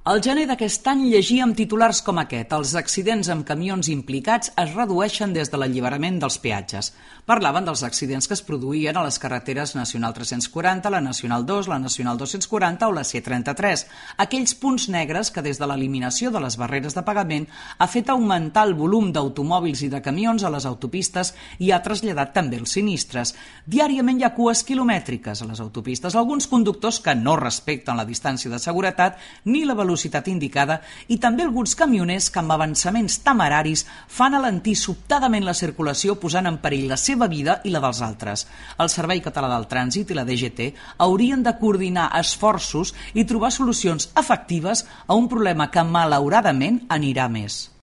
Al gener d'aquest any llegíem titulars com aquest: els accidents amb camions implicats es redueixen des de l'alliberament dels peatges. Parlaven dels accidents que es produïen a les carreteres Nacional 340, la Nacional 2, la Nacional 240 o la C33, aquells punts negres que des de l'eliminació de les barreres de pagament ha fet augmentar el volum d'automòbils i de camions a les autopistes i ha traslladat també els sinistres. Diàriament hi ha cues quilomètriques a les autopistes, alguns conductors que no respecten la distància de seguretat ni la velocitat indicada i també alguns camioners que amb avançaments temeraris fan alentir sobtadament la circulació posant en perill la seva vida i la dels altres. El Servei Català del Trànsit i la DGT haurien de coordinar esforços i trobar solucions efectives a un problema que malauradament anirà més.